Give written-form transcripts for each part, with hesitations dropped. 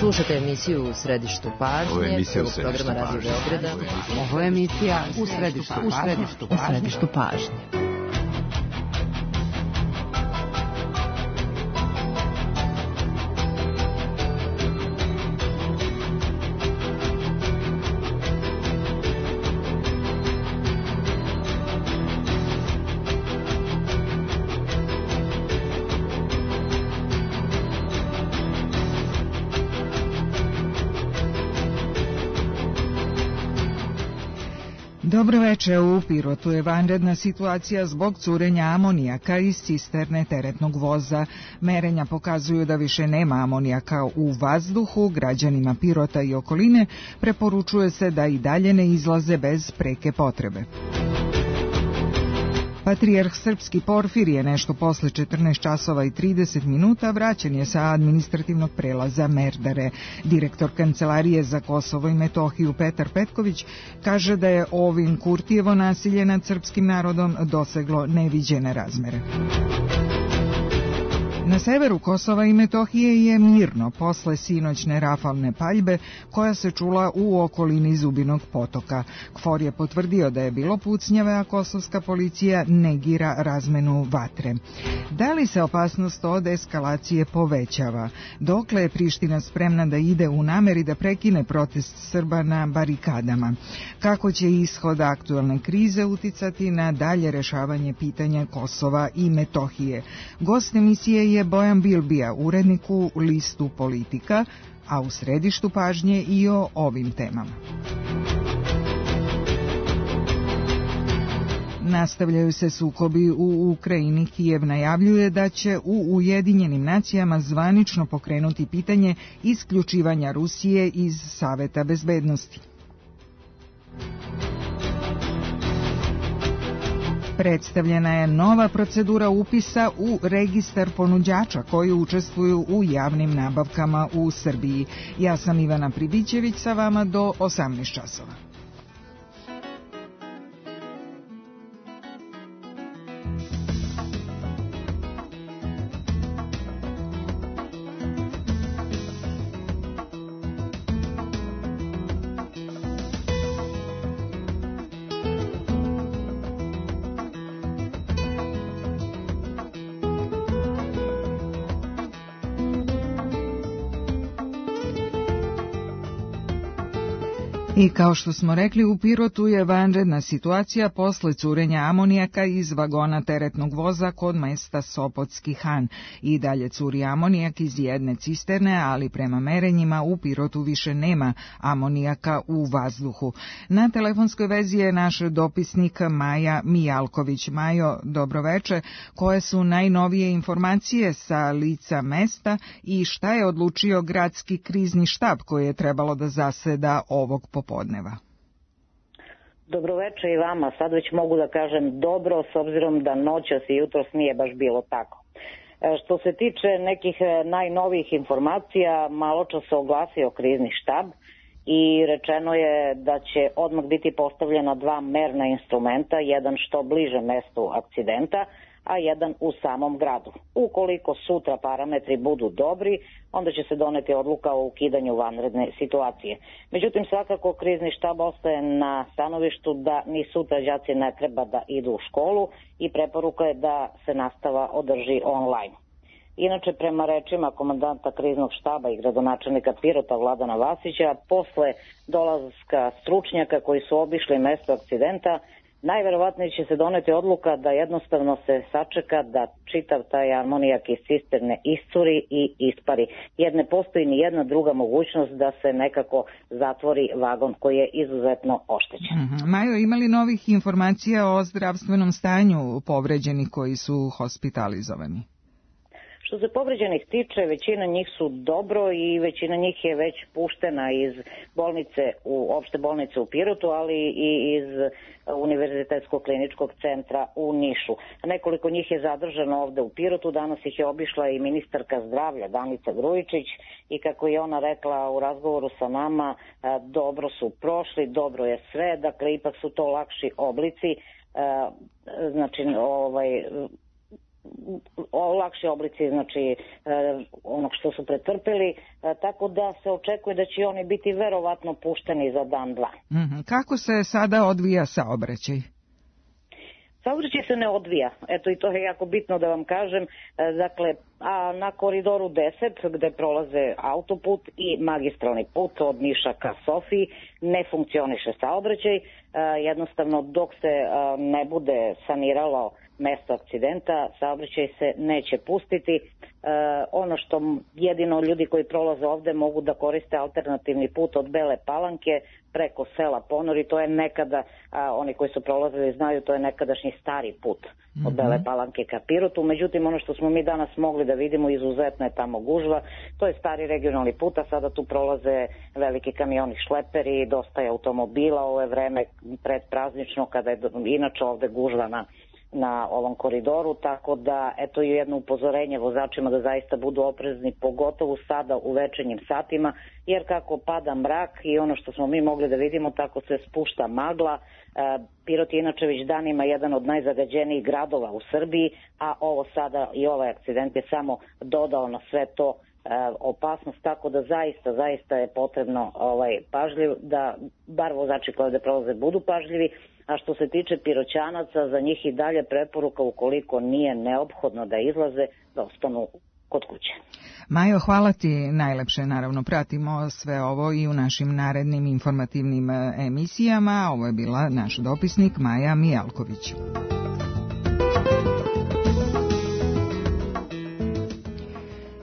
Slušate emisiju U središtu pažnje, prvog programa Radio Beograda. Ovo je emisija U središtu pažnje. Dobro večer, u Pirotu je vanredna situacija zbog curenja amonijaka iz cisterne teretnog voza. Merenja pokazuju da više nema amonijaka u vazduhu. Građanima Pirota i okoline preporučuje se da i dalje ne izlaze bez preke potrebe. Patrijarh srpski Porfirije nešto posle 14 časova i 30 minuta vraćen je sa administrativnog prelaza Merdare. Direktor Kancelarije za Kosovo i Metohiju Petar Petković kaže da je ovim Kurtijevo nasilje nad srpskim narodom doseglo neviđene razmere. Na severu Kosova i Metohije je mirno posle sinoćne rafalne paljbe koja se čula u okolini Zubinog potoka. KFOR je potvrdio da je bilo pucnjave, a kosovska policija negira razmenu vatre. Da li se opasnost od eskalacije povećava? Dokle je Priština spremna da ide u nameri da prekine protest Srba na barikadama? Kako će ishod aktualne krize uticati na dalje rešavanje pitanja Kosova i Metohije? Gost emisije je Bojan Bilbija, urednik u listu Politika, a u središtu pažnje i o ovim temama. Nastavljaju se sukobi u Ukrajini. Kijev najavljuje da će u Ujedinjenim nacijama zvanično pokrenuti pitanje isključivanja Rusije iz Saveta bezbednosti. Predstavljena je nova procedura upisa u registar ponuđača koji učestvuju u javnim nabavkama u Srbiji. Ja sam Ivana Pribićević, sa vama do 18 časova. I kao što smo rekli, u Pirotu je vanredna situacija posle curenja amonijaka iz vagona teretnog voza kod mesta Sopotski Han. I dalje curi amonijak iz jedne cisterne, ali prema merenjima u Pirotu više nema amonijaka u vazduhu. Na telefonskoj vezi je naš dopisnik Maja Mijalković. Majo, dobroveče. Koje su najnovije informacije sa lica mesta i šta je odlučio gradski krizni štab koji je trebalo da zaseda ovog popodneva? Dobroveče i vama. Sad već mogu da kažem dobro, s obzirom da noćas i jutros nije baš bilo tako. Što se tiče nekih najnovijih informacija, malo čas se oglasio krizni štab i rečeno je da će odmah biti postavljena dva merna instrumenta, jedan što bliže mestu akcidenta, a jedan u samom gradu. Ukoliko sutra parametri budu dobri, onda će se doneti odluka o ukidanju vanredne situacije. Međutim, svakako krizni štab ostaje na stanovištu da ni sutra đaci ne treba da idu u školu i preporuka je da se nastava održi online. Inače, prema rečima komandanta kriznog štaba i gradonačelnika Pirota Vladana Vasića, posle dolaska stručnjaka koji su obišli mesto akcidenta, najverovatnije će se doneti odluka da jednostavno se sačeka da čitav taj amonijak iz cisterne iscuri i ispari, jer ne postoji ni jedna druga mogućnost da se nekako zatvori vagon koji je izuzetno oštećen. Majo, ima li novih informacija o zdravstvenom stanju povređenih koji su hospitalizovani? Što se povređenih tiče, većina njih su dobro i većina njih je već puštena iz bolnice, opšte bolnice u Pirotu, ali i iz Univerzitetskog kliničkog centra u Nišu. Nekoliko njih je zadržano ovde u Pirotu, danas ih je obišla i ministarka zdravlja Danica Grujičić i kako je ona rekla u razgovoru sa nama, dobro su prošli, dobro je sve, dakle ipak su to lakši oblici, znači lakši oblici, znači onog što su pretrpeli, tako da se očekuje da će oni biti verovatno pušteni za dan, dva. Kako se sada odvija saobraćaj? Saobraćaj se ne odvija, eto i to je jako bitno da vam kažem, dakle, a na koridoru 10 gde prolaze autoput i magistralni put od Niša ka Sofiji ne funkcioniše saobraćaj, jednostavno dok se ne bude saniralo mesto akcidenta, saobraćaj se neće pustiti. Ono što jedino ljudi koji prolaze ovde mogu da koriste alternativni put od Bele Palanke preko sela Ponori, to je nekada, oni koji su prolazili znaju, to je nekadašnji stari put od Bele Palanke ka Pirotu, međutim ono što smo mi danas mogli da vidimo, izuzetno je tamo gužva, to je stari regionalni put, a sada tu prolaze veliki kamioni šleperi, dosta je automobila, ovo je vreme predpraznično kada je inače ovde gužva na ovom koridoru, tako da eto je jedno upozorenje vozačima da zaista budu oprezni, pogotovo sada u večernjim satima, jer kako pada mrak i ono što smo mi mogli da vidimo, tako se spušta magla. Pirot je inače već danima jedan od najzagađenijih gradova u Srbiji, a ovo sada i ovaj akcident je samo dodao na sve to opasnost, tako da zaista je potrebno pažljiv, da bar vozači koji ovde prolaze budu pažljivi. A što se tiče Piroćanaca, za njih i dalje preporuka, ukoliko nije neophodno da izlaze, da ostanu kod kuće. Majo, hvala ti najlepše, naravno pratimo sve ovo i u našim narednim informativnim emisijama. Ovo je bila naš dopisnik Maja Mijalković.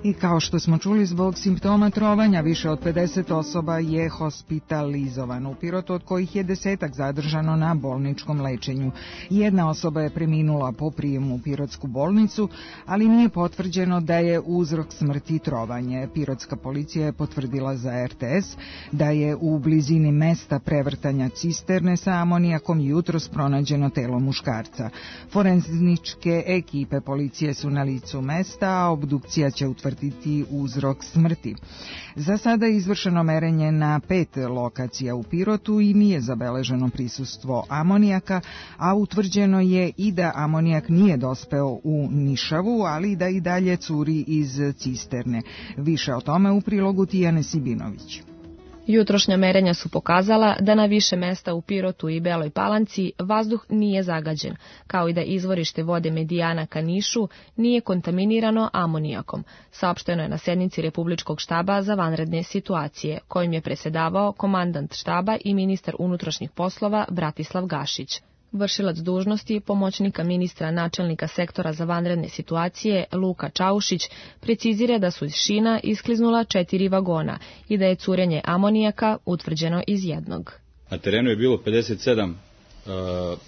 I kao što smo čuli, zbog simptoma trovanja više od 50 osoba je hospitalizovano u Pirotu, od kojih je 10 zadržano na bolničkom lečenju. Jedna osoba je preminula po prijemu u Pirotsku bolnicu, ali nije potvrđeno da je uzrok smrti trovanje. Pirotska policija je potvrdila za RTS da je u blizini mesta prevrtanja cisterne sa amonijakom jutros pronađeno telo muškarca. Forenzičke ekipe policije su na licu mesta, a obdukcija će utvrditi uzrok smrti. Za sada je izvršeno merenje na 5 lokacija u Pirotu i nije zabeleženo prisustvo amonijaka, a utvrđeno je i da amonijak nije dospeo u Nišavu, ali da i dalje curi iz cisterne. Više o tome u prilogu Tijane Sibinović. Jutrošnja merenja su pokazala da na više mesta u Pirotu i Beloj Palanci vazduh nije zagađen, kao i da izvorište vode Medijana ka Nišu nije kontaminirano amonijakom, saopšteno je na sednici Republičkog štaba za vanredne situacije, kojim je presedavao komandant štaba i ministar unutrašnjih poslova Bratislav Gašić. Vršilac dužnosti pomoćnika ministra načelnika sektora za vanredne situacije Luka Čaušić precizira da su iz šina iskliznula 4 vagona i da je curenje amonijaka utvrđeno iz jednog. Na terenu je bilo 57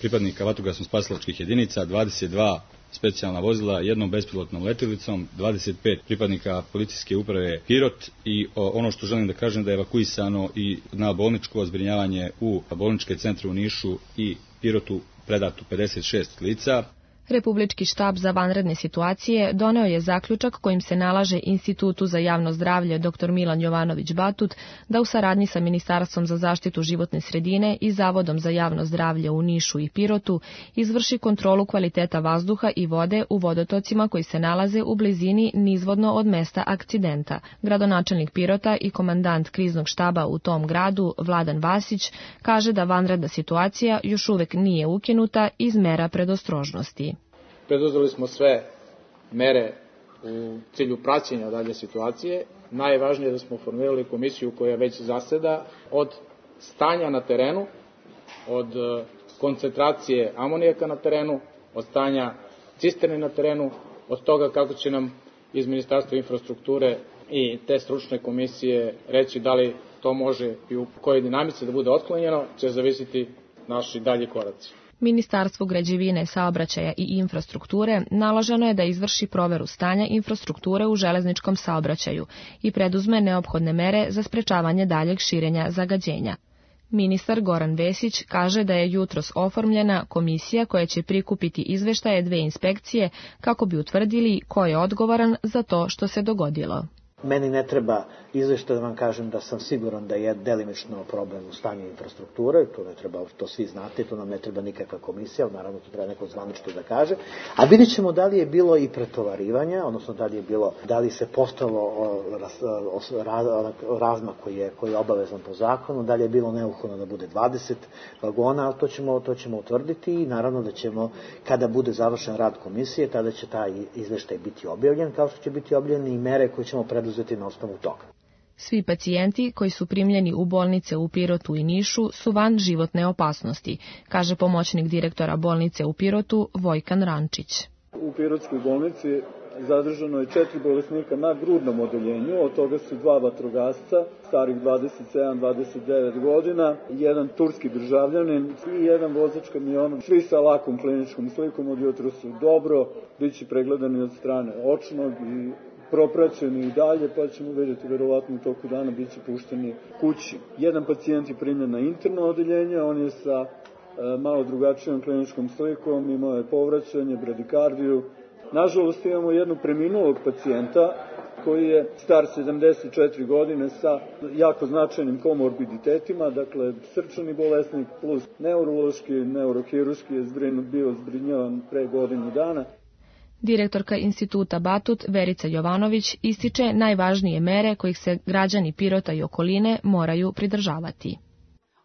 pripadnika vatrogasno-spasilačkih jedinica, 22 specijalna vozila, jednom bespilotnom letjelicom, 25 pripadnika policijske uprave Pirot i ono što želim da kažem da je evakuisano i na bolničko zbrinjavanje u bolničke centre u Nišu i Pirotu predato 56 lica. Republički štab za vanredne situacije doneo je zaključak kojim se nalaže Institutu za javno zdravlje dr. Milan Jovanović Batut da u saradnji sa Ministarstvom za zaštitu životne sredine i Zavodom za javno zdravlje u Nišu i Pirotu izvrši kontrolu kvaliteta vazduha i vode u vodotocima koji se nalaze u blizini nizvodno od mesta akcidenta. Gradonačelnik Pirota i komandant kriznog štaba u tom gradu, Vladan Vasić, kaže da vanredna situacija još uvek nije ukinuta iz mera predostrožnosti. Preduzeli smo sve mere u cilju praćenja dalje situacije. Najvažnije je da smo formirali komisiju koja već zaseda od stanja na terenu, od koncentracije amonijaka na terenu, od stanja cisterne na terenu, od toga kako će nam iz Ministarstva infrastrukture i te stručne komisije reći da li to može i u kojoj dinamici da bude otklonjeno, će zavisiti naši dalji koraci. Ministarstvu građevine, saobraćaja i infrastrukture naloženo je da izvrši proveru stanja infrastrukture u železničkom saobraćaju i preduzme neophodne mere za sprečavanje daljeg širenja zagađenja. Ministar Goran Vesić kaže da je jutros oformljena komisija koja će prikupiti izveštaje 2 inspekcije kako bi utvrdili ko je odgovoran za to što se dogodilo. Meni ne treba izveštaj da vam kažem da sam siguran da je delimično problem u stanju infrastrukture, to svi znate, to nam ne treba nikakva komisija, naravno to treba neko zvanično da kaže, a vidjet ćemo da li je bilo i pretovarivanja, odnosno da li se postalo razmak koji je obavezan po zakonu, da li je bilo neophodno da bude 20 vagona, ali to ćemo utvrditi i naravno da ćemo, kada bude završen rad komisije, tada će taj izveštaj biti objavljen, kao što će biti objavljene i mere koje ćemo preduzeti na osnovu toga. Svi pacijenti koji su primljeni u bolnice u Pirotu i Nišu su van životne opasnosti, kaže pomoćnik direktora bolnice u Pirotu Vojkan Rančić. U Pirotskoj bolnici zadržano je 4 bolesnika na grudnom odeljenju, od toga su 2 vatrogasca, starih 27-29 godina, jedan turski državljanin i jedan vozač kamiona, svi sa lakom kliničkom slikom, od jutra su dobro, bit će pregledani od strane očnog i propraćeni i dalje, pa ćemo vidjeti verovatno u toku dana bit će pušteni kući. Jedan pacijent je primljen na interno odeljenje, on je sa malo drugačijom kliničkom slikom, imao je povraćanje, bradikardiju. Nažalost imamo jednog preminulog pacijenta koji je star 74 godine sa jako značajnim komorbiditetima, dakle srčani bolesnik plus neurološki, neurohirurški je bio zbrinjavan pre godinu dana. Direktorka Instituta Batut Verica Jovanović ističe najvažnije mere kojih se građani Pirota i okoline moraju pridržavati.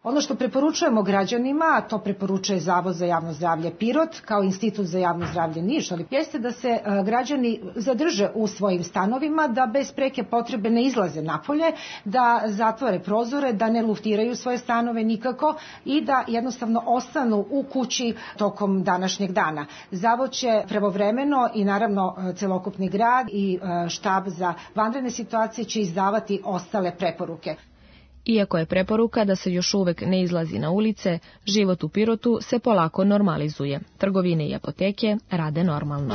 Ono što preporučujemo građanima, a to preporučuje Zavod za javno zdravlje Pirot kao Institut za javno zdravlje Niš, ali jeste da se građani zadrže u svojim stanovima, da bez preke potrebe ne izlaze napolje, da zatvore prozore, da ne luftiraju svoje stanove nikako i da jednostavno ostanu u kući tokom današnjeg dana. Zavod će pravovremeno i naravno celokupni grad i štab za vanredne situacije će izdavati ostale preporuke. Iako je preporuka da se još uvek ne izlazi na ulice, život u Pirotu se polako normalizuje. Trgovine i apoteke rade normalno.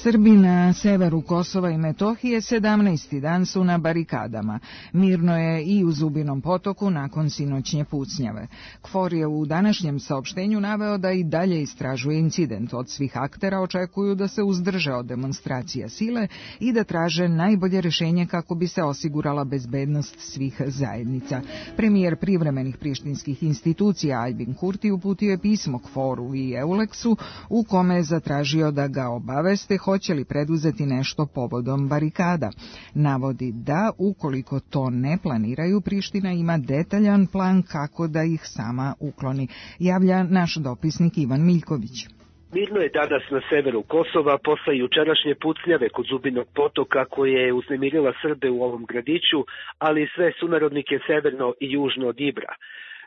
Srbi na severu Kosova i Metohije 17. dan su na barikadama. Mirno je i u Zubinom Potoku nakon sinoćnje pucnjave. KFOR je u današnjem saopštenju naveo da i dalje istražuje incident. Od svih aktera očekuju da se uzdrže od demonstracija sile i da traže najbolje rešenje kako bi se osigurala bezbednost svih zajednica. Premijer privremenih prištinskih institucija Aljbin Kurti uputio je pismo KFOR-u i EULEX-u u kome je zatražio da ga obaveste hoće li preduzeti nešto povodom barikada. Navodi da, ukoliko to ne planiraju, Priština ima detaljan plan kako da ih sama ukloni. Javlja naš dopisnik Ivan Miljković. Mirno je danas na severu Kosova posle jučerašnje pucnjave kod Zubinog Potoka koje je uznemirila Srbe u ovom gradiću, ali i sve sunarodnike severno i južno od Ibra.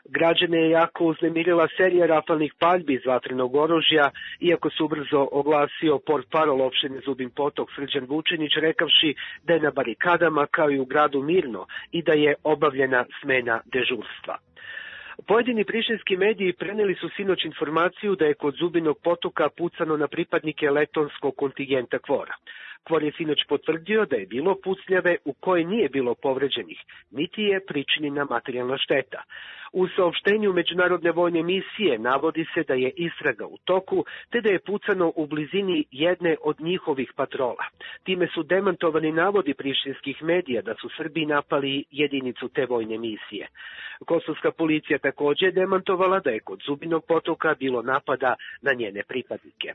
Građane je jako uznemirila serija rafalnih paljbi iz vatrenog oružja, iako se ubrzo oglasio portparol opštine Zubin Potok Srđan Vučinić rekavši da je na barikadama kao i u gradu mirno i da je obavljena smena dežurstva. Pojedini prištinski mediji preneli su sinoć informaciju da je kod Zubinog Potoka pucano na pripadnike letonskog kontingenta KFOR-a. KFOR je sinoć potvrdio da je bilo pucnjave u kojoj nije bilo povređenih, niti je pričinjena materijalna šteta. U saopštenju Međunarodne vojne misije navodi se da je istraga u toku, te da je pucano u blizini jedne od njihovih patrola. Time su demantovani navodi prištinskih medija da su Srbi napali jedinicu te vojne misije. Kosovska policija također je demantovala da je kod Zubinog Potoka bilo napada na njene pripadnike.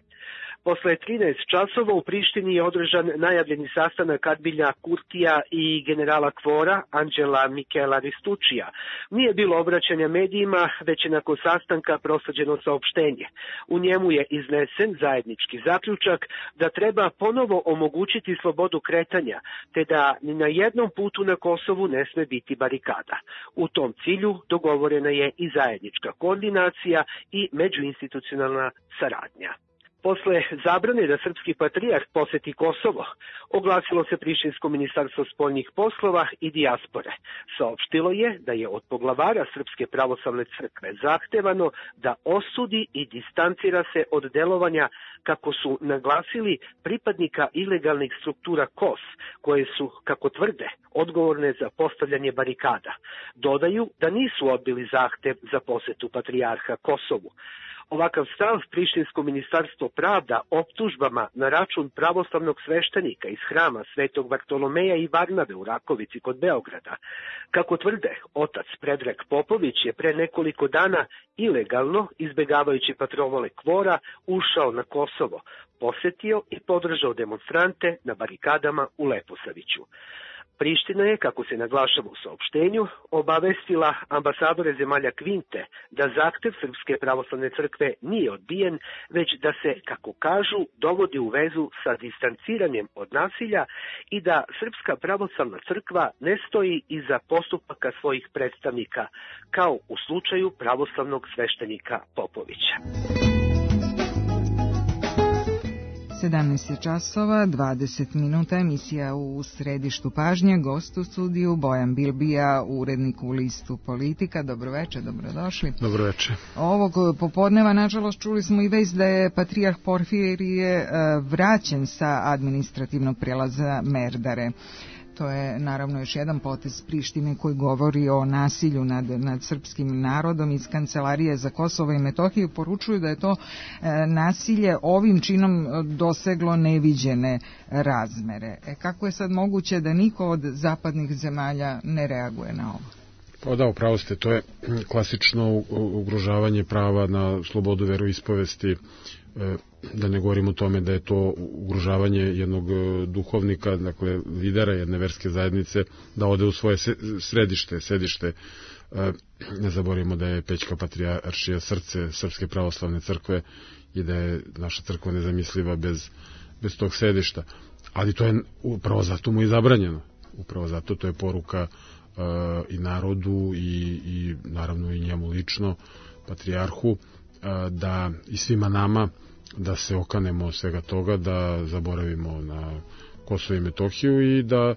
Posle 13 časova u Prištini je održan najavljeni sastanak Aljbina Kurtija i generala KFOR-a Anđela Mikela Ristučija. Nije bilo obraćanja medijima, već je nakon sastanka prosađeno saopštenje. U njemu je iznesen zajednički zaključak da treba ponovo omogućiti slobodu kretanja, te da ni na jednom putu na Kosovu ne sme biti barikada. U tom cilju dogovorena je i zajednička koordinacija i međuinstitucionalna saradnja. Posle zabrane da srpski patrijarh poseti Kosovo, oglasilo se Prištinsko ministarstvo spoljnih poslova i dijaspore. Saopštilo je da je od poglavara Srpske pravoslavne crkve zahtevano da osudi i distancira se od delovanja, kako su naglasili, pripadnika ilegalnih struktura KOS, koje su, kako tvrde, odgovorne za postavljanje barikada. Dodaju da nisu odbili zahtev za posetu patrijarha Kosovu. Ovakav stav Prištinsko ministarstvo pravda optužbama na račun pravoslavnog sveštenika iz hrama Svetog Bartolomeja i Varnave u Rakovici kod Beograda. Kako tvrde, otac Predrag Popović je pre nekoliko dana ilegalno, izbegavajući patrole KFOR-a, ušao na Kosovo, posetio i podržao demonstrante na barikadama u Leposaviću. Priština je, kako se naglašava u saopštenju, obavestila ambasadore zemalja Kvinte da zahtev Srpske pravoslavne crkve nije odbijen, već da se, kako kažu, dovodi u vezu sa distanciranjem od nasilja i da Srpska pravoslavna crkva ne stoji iza postupaka svojih predstavnika, kao u slučaju pravoslavnog sveštenika Popovića. 17 časova, 20 minuta, emisija u središtu pažnje, gost u studiju Bojan Bilbija, urednik u listu Politika. Dobroveče, dobrodošli. Dobroveče. Ovog popodneva, nažalost, čuli smo i vest da je patrijarh Porfirije vraćen sa administrativnog prijelaza Merdare. To je naravno još jedan potez Prištine koji govori o nasilju nad srpskim narodom. Iz Kancelarije za Kosovo i Metohiju poručuju da je to nasilje ovim činom doseglo neviđene razmere. Kako je sad moguće da niko od zapadnih zemalja ne reaguje na ovo? Pa da, upravo ste, to je klasično ugrožavanje prava na slobodu veroispovesti, da ne govorim o tome da je to ugrožavanje jednog duhovnika, dakle lidera jedne verske zajednice, da ode u svoje sedište. Ne zaboravimo da je Pećka patrijaršija srce Srpske pravoslavne crkve i da je naša crkva nezamisliva bez tog sedišta. Ali to je upravo zato mu i zabranjeno. Upravo zato to je poruka i narodu i naravno i njemu lično, patrijarhu, da i svima nama da se okanemo svega toga, da zaboravimo na Kosovo i Metohiju i da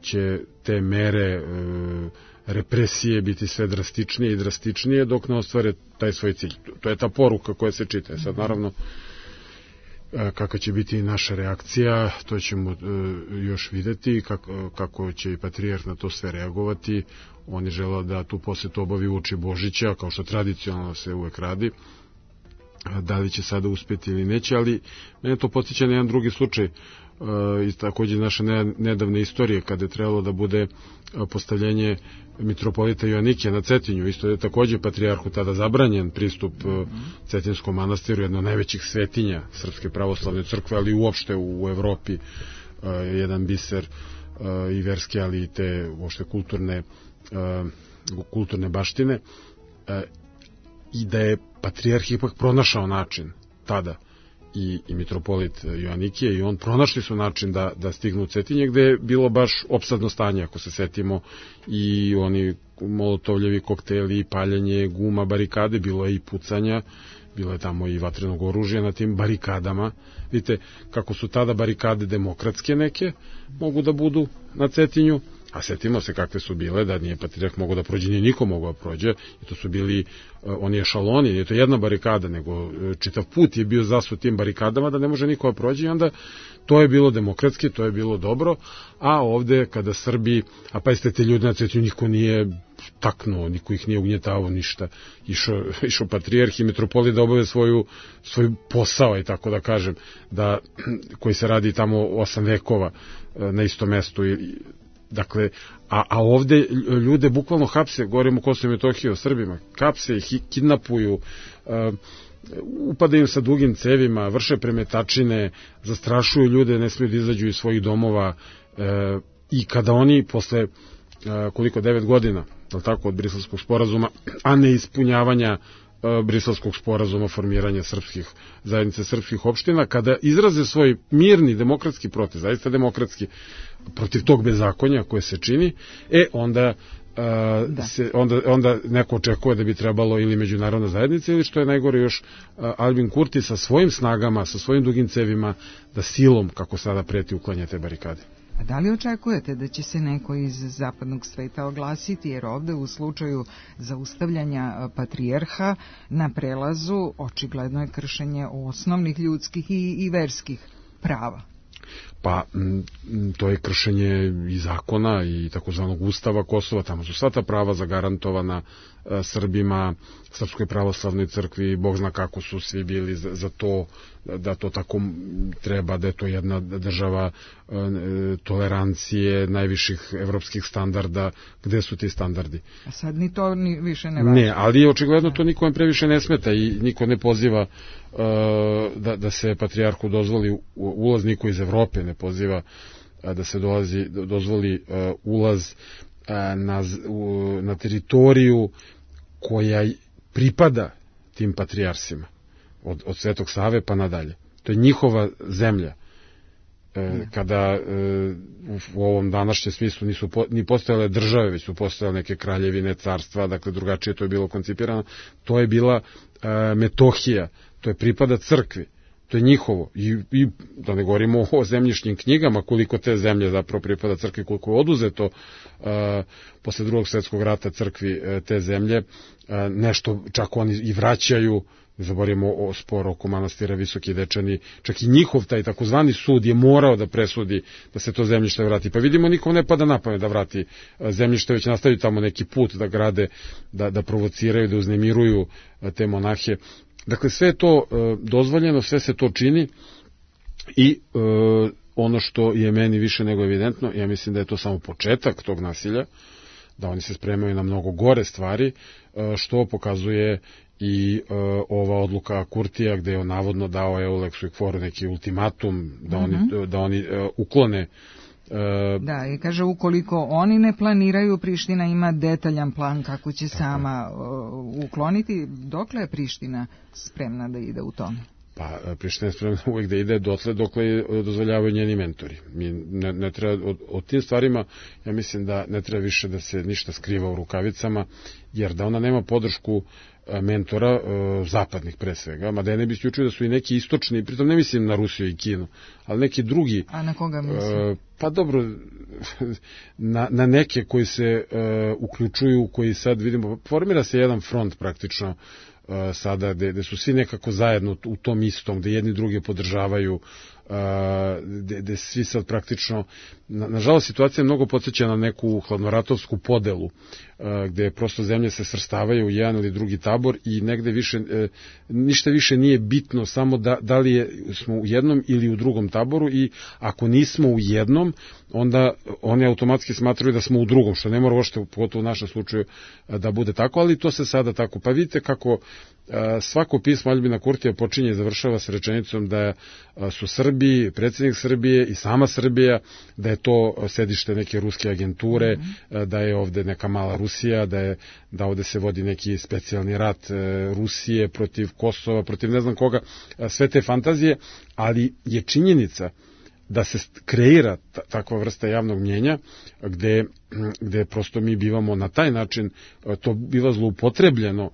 će te mere represije biti sve drastičnije i drastičnije dok ne ostvare taj svoj cilj. To je ta poruka koja se čita. Sad naravno kakva će biti naša reakcija, to ćemo još videti, kako će i patrijarh na to sve reagovati. On je želeo da tu posetu obavi uoči Božića, kao što tradicionalno se uvek radi. Da li će sada uspjeti ili neće, ali mene to podsjeća na jedan drugi slučaj iz također naše nedavne istorije, kada je trebalo da bude postavljenje mitropolita Joanikija na Cetinju. Isto je također patrijarhu tada zabranjen pristup Cetinskom manastiru, jedno od najvećih svetinja Srpske pravoslavne crkve, ali uopšte u Evropi jedan biser i verski, ali i te uopšte kulturne baštine. I da je patrijarh ipak pronašao način tada i mitropolit Joanikije i on pronašli su način da stignu u Cetinje, gde je bilo baš opsadno stanje, ako se setimo, i oni molotovljevi kokteli, paljenje guma, barikade, bilo je i pucanja, bilo je tamo i vatrenog oružja na tim barikadama. Vidite kako su tada barikade demokratske neke, mogu da budu na Cetinju, a setimo se kakve su bile, da nije patrijarh mogao da prođe, nije niko mogao da prođe, i to su bili oni ešaloni, nije to jedna barikada, nego čitav put je bio zasut tim barikadama da ne može niko da prođe, i onda to je bilo demokratski, to je bilo dobro, a ovde kada Srbi, a pa jeste te ljudi na Cetinju, niko nije taknuo, niko ih nije ugnjetavao, ništa, išao patrijarh i mitropolit da obave svoj posao, i tako da kažem, koji se radi tamo 8 vekova na istom mestu. Dakle, a ovde ljude bukvalno hapse, govorimo o Kosovu i Metohiji, o Srbima, hapse ih, kidnapuju, upadaju sa dugim cevima, vrše premetačine, zastrašuju ljude, ne smiju da izađu iz svojih domova, i kada oni posle 9 godina, od Briselskog sporazuma, a ne ispunjavanja Briselskog sporazuma, formiranja zajednice srpskih opština, kada izraze svoj mirni demokratski protest, zaista demokratski, protiv tog bezakonja koje se čini, onda onda neko očekuje da bi trebalo ili međunarodna zajednica ili što je najgore još Albin Kurti sa svojim snagama, sa svojim dugim cevima da silom, kako sada preti, uklanja te barikade. A da li očekujete da će se neko iz zapadnog sveta oglasiti, jer ovde u slučaju zaustavljanja patrijarha na prelazu očigledno je kršenje osnovnih ljudskih i verskih prava? Pa to je kršenje i zakona i takozvanog ustava Kosova, tamo su sva ta prava zagarantovana Srbima, Srpskoj pravoslavnoj crkvi, Bog zna kako su svi bili za to, da to tako treba, da je to jedna država tolerancije, najviših evropskih standarda. Gde su ti standardi? A sad ni to više ne važi. Ne, ali očigledno to nikom previše ne smeta i niko ne poziva da se patrijarhu dozvoli ulaz, niko iz Evrope ne poziva da se dozvoli ulaz na teritoriju koja pripada tim patrijarsima od Svetog Save pa nadalje. To je njihova zemlja. Kada u ovom današnjem smislu nisu ni postojale države, već su postojale neke kraljevine, carstva, dakle drugačije to je bilo koncipirano. To je bila Metohija, to je pripada crkvi, to je njihovo. I da ne govorimo o zemljišnim knjigama, koliko te zemlje zapravo pripada crkvi, koliko je oduzeto posle Drugog svjetskog rata crkvi te zemlje, nešto čak oni i vraćaju. Ne zaboravimo o spor oko manastira Visoki Dečani, čak i njihov taj takozvani sud je morao da presudi da se to zemljište vrati. Pa vidimo, nikom ne pada na pamet da vrati zemljište, već nastavi tamo neki put da grade, da provociraju, da uznemiruju te monahe. Dakle, sve je to dozvoljeno, sve se to čini i ono što je meni više nego evidentno, ja mislim da je to samo početak tog nasilja, da oni se spremaju na mnogo gore stvari, što pokazuje i ova odluka Kurtija gde je on navodno dao Euleksu i Kforu neki ultimatum da oni uklone. Da, i kaže ukoliko oni ne planiraju, Priština ima detaljan plan kako će sama ukloniti. Dokle je Priština spremna da ide u tome? Pa Priština je spremna uvek da ide dokle dozvoljavaju njeni mentori. Mi ne treba o tim stvarima, ja mislim da ne treba više da se ništa skriva u rukavicama, jer da ona nema podršku mentora, zapadnih pre svega, mada ja ne bi isključio da su i neki istočni, pritom ne mislim na Rusiju i Kinu, ali neki drugi. A na koga mislim? Pa dobro, na neke koji se uključuju, koji sad vidimo, formira se jedan front praktično sada, gde su svi nekako zajedno u tom istom, gde jedni drugi podržavaju, gde svi sad praktično, nažalost situacija je mnogo podsjeća na neku hladnoratovsku podelu, gde prosto zemlje se svrstavaju u jedan ili drugi tabor i negde ništa više nije bitno, samo da li smo u jednom ili u drugom taboru, i ako nismo u jednom, onda oni automatski smatraju da smo u drugom, što ne mora uopšte, pogotovo u našem slučaju, da bude tako, ali to se sada tako. Pa vidite kako svako pismo Albina Kurtija počinje i završava sa rečenicom da su Srbi, predsjednik Srbije i sama Srbija, da je to sedište neke ruske agenture, da je ovde neka mala Rusija, da ovde se vodi neki specijalni rat Rusije protiv Kosova, protiv ne znam koga, sve te fantazije, ali je činjenica da se kreira takva vrsta javnog mnjenja gde prosto mi bivamo na taj način, to biva zloupotrebljeno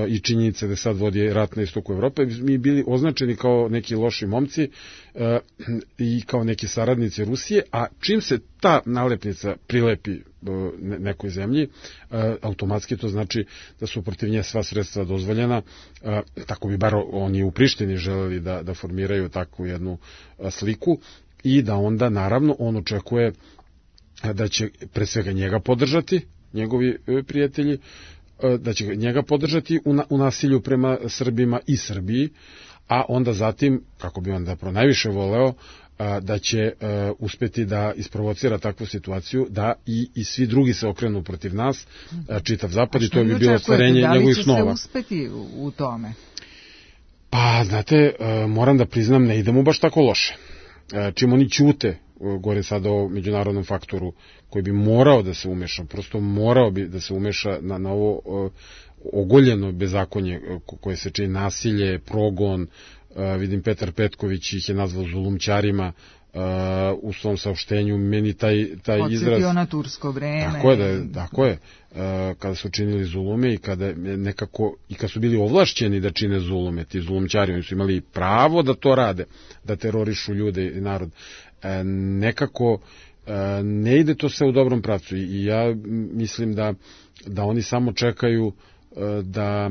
i činjenica da sad vodi rat na istoku Evrope, mi bili označeni kao neki loši momci i kao neki saradnici Rusije, a čim se ta nalepnica prilepi nekoj zemlji, automatski to znači da su protiv nje sva sredstva dozvoljena. Tako bi bar oni u Prištini želeli da formiraju takvu jednu sliku, i da onda naravno on očekuje da će pre svega njega podržati, njegovi prijatelji, da će njega podržati u nasilju prema Srbima i Srbiji, a onda zatim, kako bi on zapravo najviše voleo, da će uspeti da isprovocira takvu situaciju da i svi drugi se okrenu protiv nas, čitav zapad, i to bi bilo ostvarenje njegovih snova. Da li će se uspeti u tome? Pa, znate, moram da priznam, ne idemo baš tako loše. Čim oni ćute, gore sada o međunarodnom faktoru koji bi morao da se umeša, prosto morao bi da se umeša na ovo ogoljeno bezakonje koje se čini, nasilje, progon. Vidim Petar Petković ih je nazvao zulumćarima, u svom saopštenju, meni taj izraz... Podsjetio na tursko vreme. Tako je. Kada su činili zulume i kada nekako, i kad su bili ovlašćeni da čine zulume, ti zulumčari, oni su imali pravo da to rade, da terorišu ljude i narod. Nekako ne ide to sve u dobrom pravcu i ja mislim da oni samo čekaju da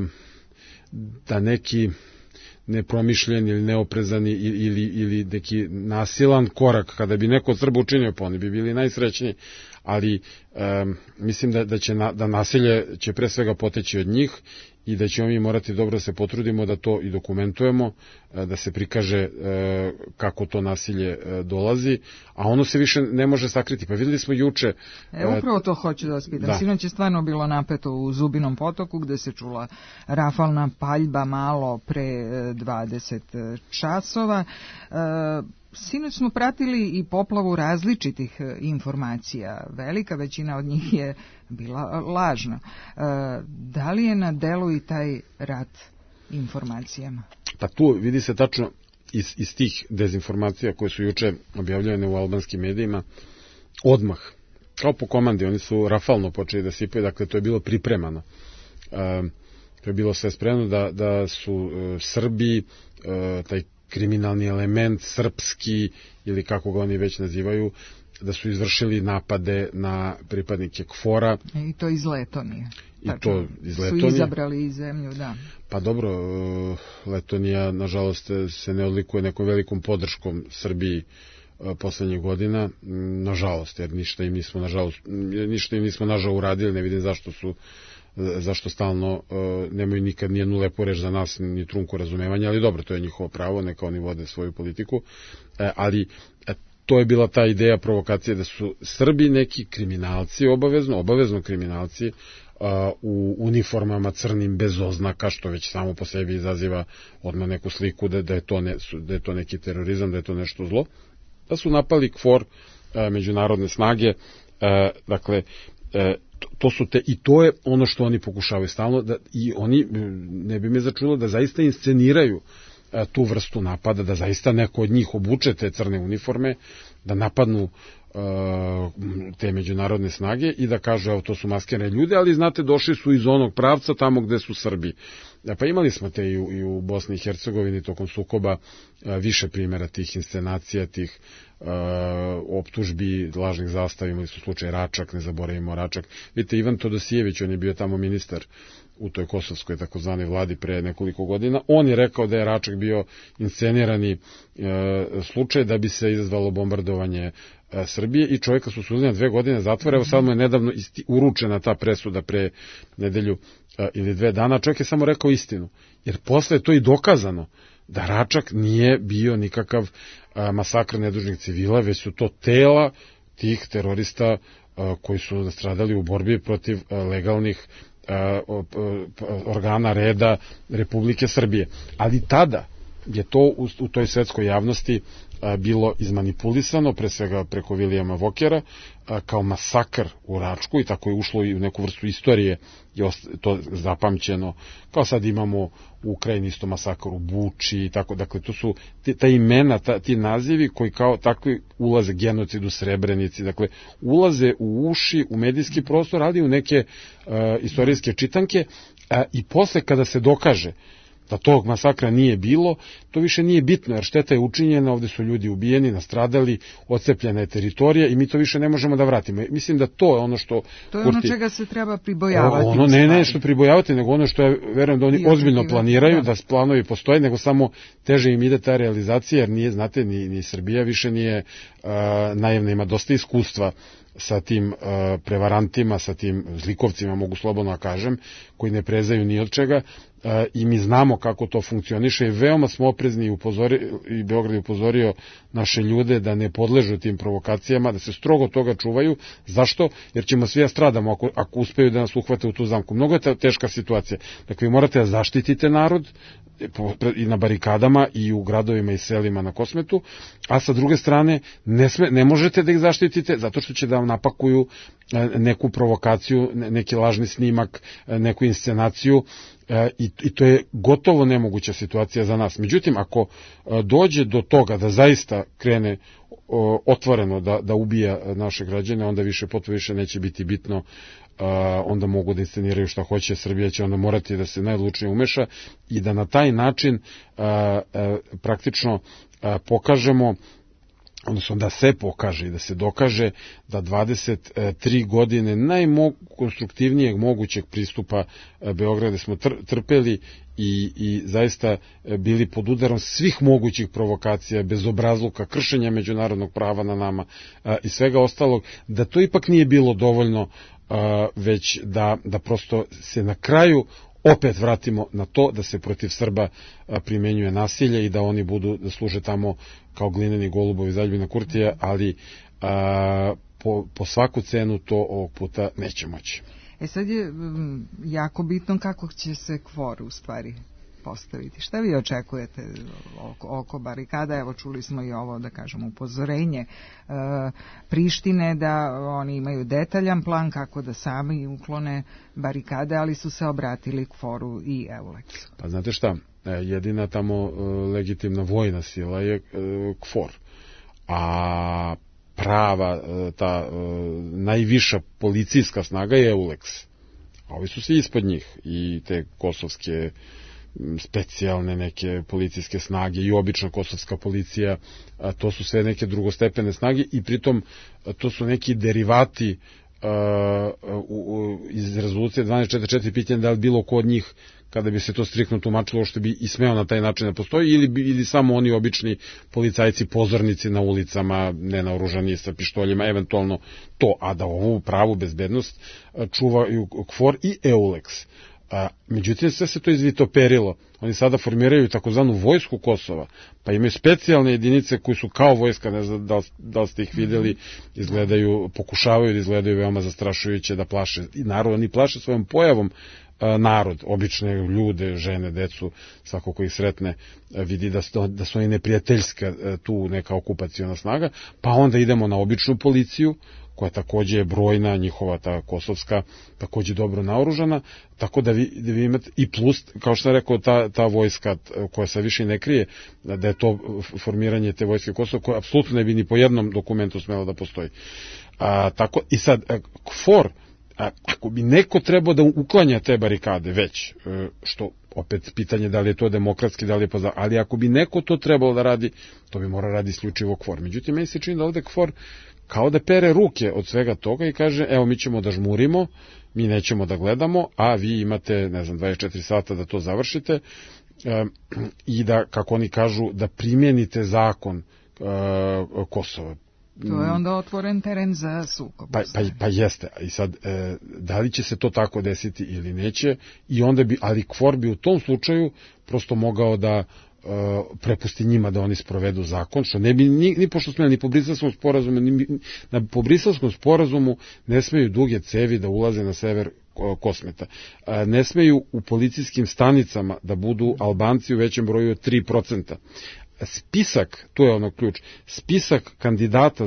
neki nepromišljen ili neoprezan ili neki nasilan korak, kada bi neko od Srba učinio, pa oni bi bili najsrećniji, ali mislim da nasilje će pre svega poteći od njih i da ćemo mi morati dobro se potrudimo da to i dokumentujemo, da se prikaže kako to nasilje dolazi, a ono se više ne može sakriti. Pa videli smo juče... Upravo to hoću da vas pitam. Sinoć je stvarno bilo napeto u Zubinom potoku, gde se čula rafalna paljba malo pre 20 časova. Sinoć smo pratili i poplavu različitih informacija. Velika većina od njih je bila lažna. Da li je na delu i taj rat informacijama? Pa tu vidi se tačno iz tih dezinformacija koje su juče objavljene u albanskim medijima, odmah, kao po komandi, oni su rafalno počeli da sipaju, dakle to je bilo pripremano. To je bilo sve spremno da su Srbi, taj kriminalni element, srpski, ili kako ga oni već nazivaju, da su izvršili napade na pripadnike KFOR-a. I to iz Letonije. Su izabrali zemlju, da. Pa dobro, Letonija, nažalost, se ne odlikuje nekom velikom podrškom Srbiji poslednjih godina, nažalost, jer ništa im nismo nažal uradili, ne vidim zašto stalno nemaju nikad nijednu lepu reč za nas, ni trunku razumevanja, ali dobro, to je njihovo pravo, neka oni vode svoju politiku, ali to je bila ta ideja provokacije da su Srbi neki kriminalci, obavezno kriminalci, u uniformama crnim bez oznaka, što već samo po sebi izaziva odmah neku sliku da je to neki terorizam, da je to nešto zlo, da su napali KFOR, međunarodne snage, dakle, i to je ono što oni pokušavaju stalno, i oni, ne bi me začulo, da zaista insceniraju tu vrstu napada, da zaista neko od njih obuče te crne uniforme, da napadnu te međunarodne snage i da kažu, evo, to su maskirane ljude, ali znate, došli su iz onog pravca tamo gde su Srbi. Pa imali smo te i u Bosni i Hercegovini tokom sukoba više primjera tih inscenacija, tih optužbi, lažnih zastava. Imali su slučaj Račak, ne zaboravimo Račak. Vidite, Ivan Todosijević, on je bio tamo ministar u toj kosovskoj takozvanoj vladi pre nekoliko godina. On je rekao da je Račak bio inscenirani slučaj da bi se izazvalo bombardovanje Srbije i čovjeka su sudili na 2 godine zatvora. Evo sad mu je nedavno uručena ta presuda pre nedelju ili 2 dana. Čovjek je samo rekao istinu, jer posle je to i dokazano da Račak nije bio nikakav masakr nedužnih civila, već su to tela tih terorista koji su nastradali u borbi protiv legalnih organa reda Republike Srbije. Ali tada je to u toj svetskoj javnosti bilo izmanipulisano, pre svega preko Vilijama Vokera, kao masakr u Račku, i tako je ušlo i u neku vrstu istorije, je to zapamćeno, kao sad imamo u Ukrajini isto masakr u Buči i tako. Dakle, to su ta imena, ti nazivi koji kao takvi ulaze, genocid u Srebrenici, dakle, ulaze u uši, u medijski prostor, ali u neke istorijske čitanke, i posle kada se dokaže da tog masakra nije bilo, to više nije bitno, jer šteta je učinjena, ovde su ljudi ubijeni, nastradali, odcepljena je teritorija i mi to više ne možemo da vratimo. Mislim da to je ono što... To je ono čega se treba pribojavati. Ne što pribojavati, nego ono što ja verujem da oni ozbiljno planiraju, da planovi postoje, nego samo teže im ide ta realizacija, jer nije, znate, ni Srbija više nije naivna, ima dosta iskustva sa tim prevarantima, sa tim zlikovcima, mogu slobodno da kažem, koji ne prezaju ni od čega, i mi znamo kako to funkcioniše i veoma smo oprezni i Beograd je upozorio naše ljude da ne podležu tim provokacijama, da se strogo toga čuvaju. Zašto? Jer ćemo svi da stradamo ako uspeju da nas uhvate u tu zamku. Mnogo je teška situacija. Dakle, vi morate da zaštitite narod i na barikadama i u gradovima i selima na Kosmetu, a sa druge strane ne možete da ih zaštitite zato što će da vam napakuju neku provokaciju, neki lažni snimak, neku inscenaciju, i to je gotovo nemoguća situacija za nas. Međutim, ako dođe do toga da zaista krene otvoreno da ubija naše građane, onda potpuno više neće biti bitno, onda mogu da insceniraju šta hoće. Srbija će onda morati da se najodlučnije umeša i da na taj način praktično pokažemo, odnosno da se pokaže i da se dokaže da 23 godine najkonstruktivnijeg mogućeg pristupa Beograda smo trpeli i zaista bili pod udarom svih mogućih provokacija, bezobrazluka, kršenja međunarodnog prava na nama i svega ostalog, da to ipak nije bilo dovoljno, već da prosto se na kraju opet vratimo na to da se protiv Srba primenjuje nasilje i da oni da služe tamo kao glineni golubovi za Aljbina Kurtija, ali po svaku cenu to ovog puta neće moći. Sad je jako bitno kako će se KFOR u stvari postaviti. Šta vi očekujete oko barikada? Evo, čuli smo i ovo, da kažem, upozorenje Prištine da oni imaju detaljan plan kako da sami uklone barikade, ali su se obratili KFOR-u i EULEX-u. Pa znate šta, jedina tamo legitimna vojna sila je KFOR, a prava, ta najviša policijska snaga je EULEX. A ovi su svi ispod njih, i te kosovske specijalne neke policijske snage i obična kosovska policija, to su sve neke drugostepene snage i pritom to su neki derivati iz rezolucije 1244, pitanje da li bilo ko od njih, kada bi se to striktno tumačilo, što bi i smeo na taj način da postoji, ili samo oni obični policajci, pozornici na ulicama, nenaoružani sa pištoljima, eventualno to, a da ovu pravu bezbednost čuvaju KFOR i EULEX. Međutim, sve se to izvitoperilo. Oni sada formiraju takozvanu vojsku Kosova, pa imaju specijalne jedinice koji su kao vojska, ne znam da li ste ih vidjeli, pokušavaju da izgledaju veoma zastrašujuće, da plaše i narod, oni plaše svojom pojavom narod, obične ljude, žene, decu, svako ko ih sretne vidi da su oni neprijateljska tu neka okupaciona snaga, pa onda idemo na običnu policiju, koja takođe je brojna, njihova ta kosovska, takođe dobro naoružana, tako da vi imate i plus, kao što sam rekao, ta vojska koja se više ne krije, da je to formiranje te vojske Kosova, koja apsolutno ne bi ni po jednom dokumentu smela da postoji. Tako, i sad, KFOR, ako bi neko trebao da uklanja te barikade već, što opet pitanje da li je to demokratski, da li je ali ako bi neko to trebalo da radi, to bi mora radi isključivo KFOR. Međutim, meni se čini da ovde KFOR kao da pere ruke od svega toga i kaže, evo, mi ćemo da žmurimo, mi nećemo da gledamo, a vi imate, 24 sata da to završite i da, kako oni kažu, da primjenite zakon Kosova. To je onda otvoren teren za sukob. Pa jeste. I sad, da li će se to tako desiti ili neće, i onda ali KFOR bi u tom slučaju prosto mogao da prepusti njima da oni sprovedu zakon, što ne bi ni pošto smeli, ni po Briselskom sporazumu, po Briselskom sporazumu ne smeju duge cevi da ulaze na sever Kosmeta. Ne smeju u policijskim stanicama da budu Albanci u većem broju od 3%. Spisak, to je ono ključ, spisak kandidata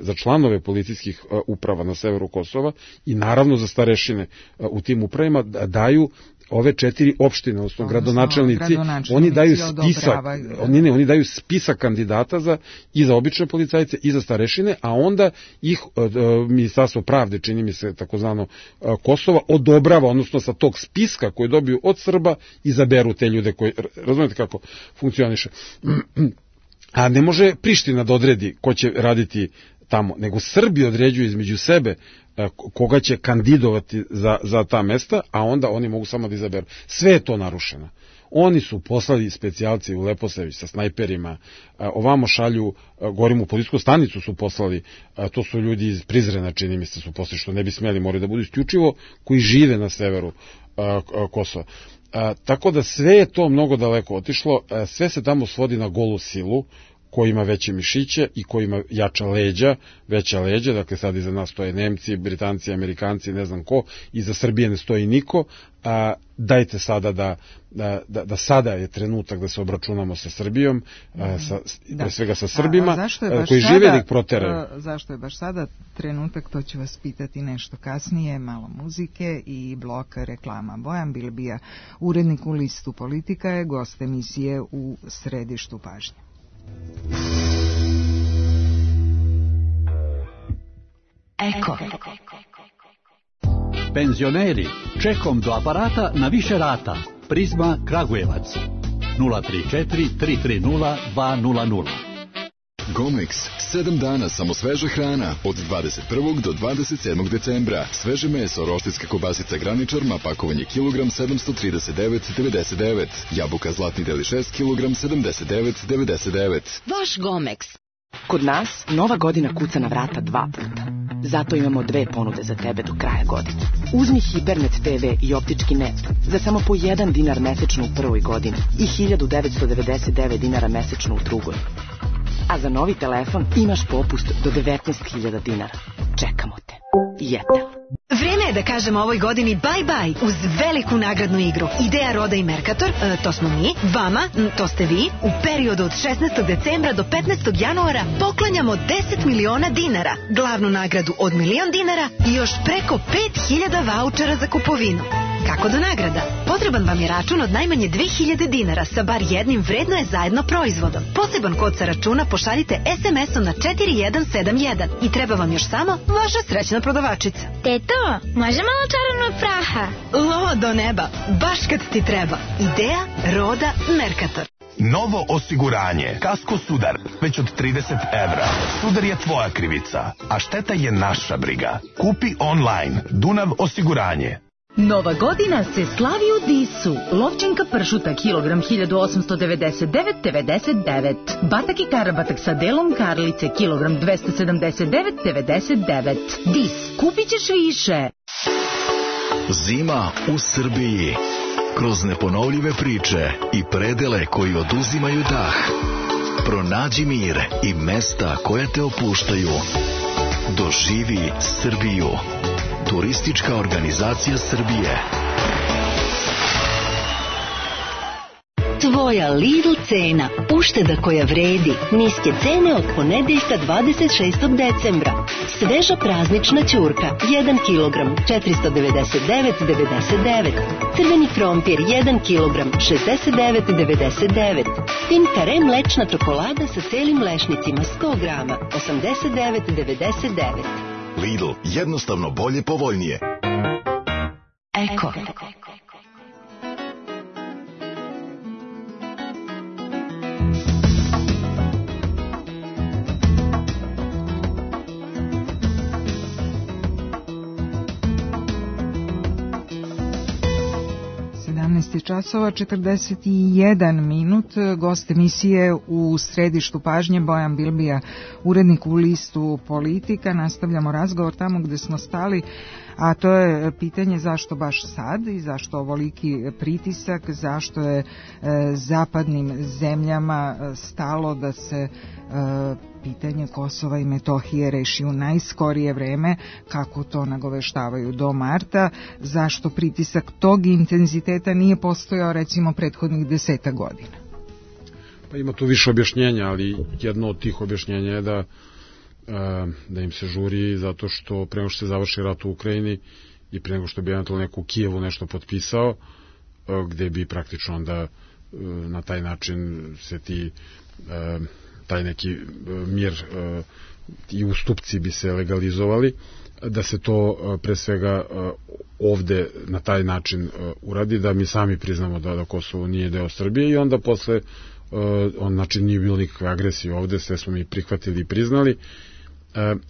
za članove policijskih uprava na severu Kosova i naravno za starešine u tim upravima daju ove 4 opštine, odnosno gradonačelnici, oni daju spisak, oni daju spisak kandidata i za obične policajce i za starešine, a onda ih Ministarstvo pravde, čini mi se takozvano Kosova, odobrava, odnosno sa tog spiska koji dobiju od Srba izaberu te ljude koji, razumete kako funkcioniše. A ne može Priština da odredi ko će raditi tamo, nego Srbi određuju između sebe koga će kandidovati za ta mesta, a onda oni mogu samo da izaberu. Sve je to narušeno. Oni su poslali specijalci u Leposavić sa snajperima, ovamo šalju, govorim u policijsku stanicu su poslali, to su ljudi iz Prizrena, čini mi se su poslali, što ne bi smeli, moraju da budu isključivo koji žive na severu Kosova. Tako da sve je to mnogo daleko otišlo, sve se tamo svodi na golu silu, ko ima veće mišiće i ko ima veća leđa, dakle sad iza nas stoje Nemci, Britanci, Amerikanci, ne znam ko, iza Srbije ne stoji niko, dajte sada da sada je trenutak da se obračunamo sa Srbijom, pre svega sa Srbima, koji žive da ih proteraju. Zašto je baš sada trenutak, to ću vas pitati nešto kasnije, malo muzike i blok reklama. Bojan Bilbija, urednik u Listu Politika, je gost emisije u Središtu pažnje. Eko. Penzioneri, čekom do aparata na više rata. Prizma Kragujevac 034 330 200. Gomex, 7 dana samo sveža hrana, od 21. do 27. decembra. Sveže meso, roštiljska kobasica Graničar, pakovanje kilogram 739,99. Jabuka Zlatni deli 6 kilogram 79,99. Vaš Gomex. Kod nas nova godina kuca na vrata 2 puta. Zato imamo 2 ponude za tebe do kraja godine. Uzmi Hipernet TV i optički net za samo po 1 dinar mesečno u prvoj godini i 1999 dinara mesečno u drugoj. A za novi telefon imaš popust do 19.000 dinara. Čekamo te. Jetel. Vreme je da kažemo ovoj godini bye-bye uz veliku nagradnu igru. Ideja, Roda i Mercator, to smo mi, vama, to ste vi, u periodu od 16. decembra do 15. januara poklanjamo 10 miliona dinara, glavnu nagradu od 1 milion dinara i još preko 5.000 vaučera za kupovinu. Kako do nagrada? Potreban vam je račun od najmanje 2.000 dinara sa bar jednim vredno je zajedno proizvodom. Poseban kod sa računa pošaljite SMS-om na 4171 i treba vam još samo vaša srećna prodavačica. Teto, može malo čarovnog praha? Lo do neba, baš kad ti treba. Ideja, Roda, Mercator. Novo osiguranje. Kasko Sudar. Već od 30 evra. Sudar je tvoja krivica, a šteta je naša briga. Kupi online. Dunav osiguranje. Nova godina se slavi u Disu. Lovčenka pršuta kilogram 1899,99. Batak i karabatak sa delom karlice kilogram 279,99. Dis, kupit ćeš više. Zima u Srbiji. Kroz neponovljive priče i predele koji oduzimaju dah. Pronađi mir i mesta koja te opuštaju. Doživi Srbiju. Turistička organizacija Srbije. Tvoja Lidl cena. Ušteda koja vredi. Niske cene od ponedeljka 26. decembra. Sveža praznična ćurka 1 kg 499,99. Crveni krompir 1 kg 69,99. Tinkare mlečna čokolada sa celim lešnicima 100 grama 89,99. Lidl, jednostavno bolje, povoljnije. Eko. 17 časova 41 minut. Gost emisije u središtu pažnje Bojan Bilbija, urednik u listu Politika. Nastavljamo razgovor tamo gde smo stali, a to je pitanje zašto baš sad i zašto ovoliki pritisak, zašto je zapadnim zemljama stalo da se pitanje Kosova i Metohije reši u najskorije vreme, kako to nagoveštavaju do marta, zašto pritisak tog intenziteta nije postojao recimo prethodnih 10 godina. Pa ima tu više objašnjenja, ali jedno od tih objašnjenja je da im se žuri zato što pre nego što se završi rat u Ukrajini i pre nego što bi eventualno neko u Kijevu nešto potpisao, gde bi praktično onda na taj način se taj neki mir i ustupci bi se legalizovali, da se to pre svega ovde na taj način uradi, da mi sami priznamo da Kosovo nije deo Srbije i onda posle znači nije bilo nikakve agresije ovde, sve smo mi prihvatili i priznali,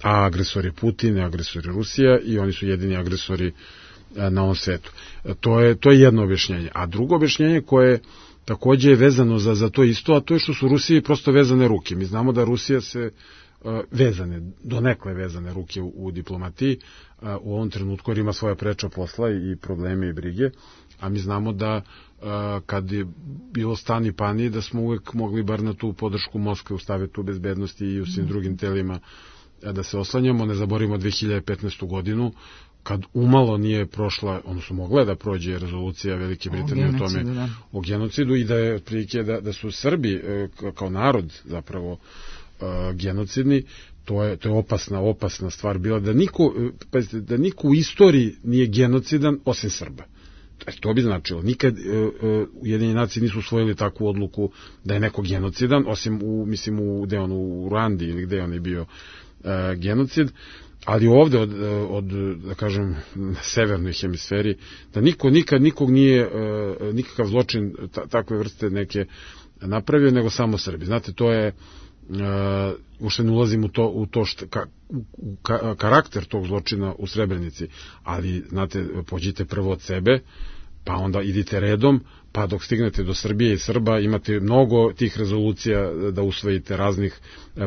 a agresor je Putin, agresor je Rusija i oni su jedini agresori na ovom svetu. To je jedno objašnjenje. A drugo objašnjenje koje takođe je vezano za to isto, a to je što su Rusiji prosto vezane ruke. Mi znamo da Rusija se donekle vezane ruke u diplomatiji u ovom trenutku, jer ima svoja preča posla i probleme i brige, a mi znamo da kad je bilo stani pani, da smo uvek mogli bar na tu podršku Moskve u Savetu bezbednosti i u svim drugim telima da se oslanjamo. Ne zaboravimo 2015. godinu, kad umalo nije prošla, odnosno mogla da prođe rezolucija Velike Britanije o tome, o genocidu, i da je otprilike da su Srbi kao narod zapravo genocidni. To je opasna stvar bila, da niko u istoriji nije genocidan osim Srba. To bi značilo, nikad Ujedinjene nacije nisu usvojili takvu odluku da je neko genocidan, osim u Ruandi ili gde on je bio genocid, ali ovde od da kažem na severnoj hemisferi, da niko nikad nikog nije nikakav zločin takve vrste neke napravio, nego samo Srbi. Znate, to je uopšte ne ulazim u to karakter tog zločina u Srebrenici, ali znate, pođite prvo od sebe, pa onda idite redom, pa dok stignete do Srbije i Srba imate mnogo tih rezolucija da usvojite raznih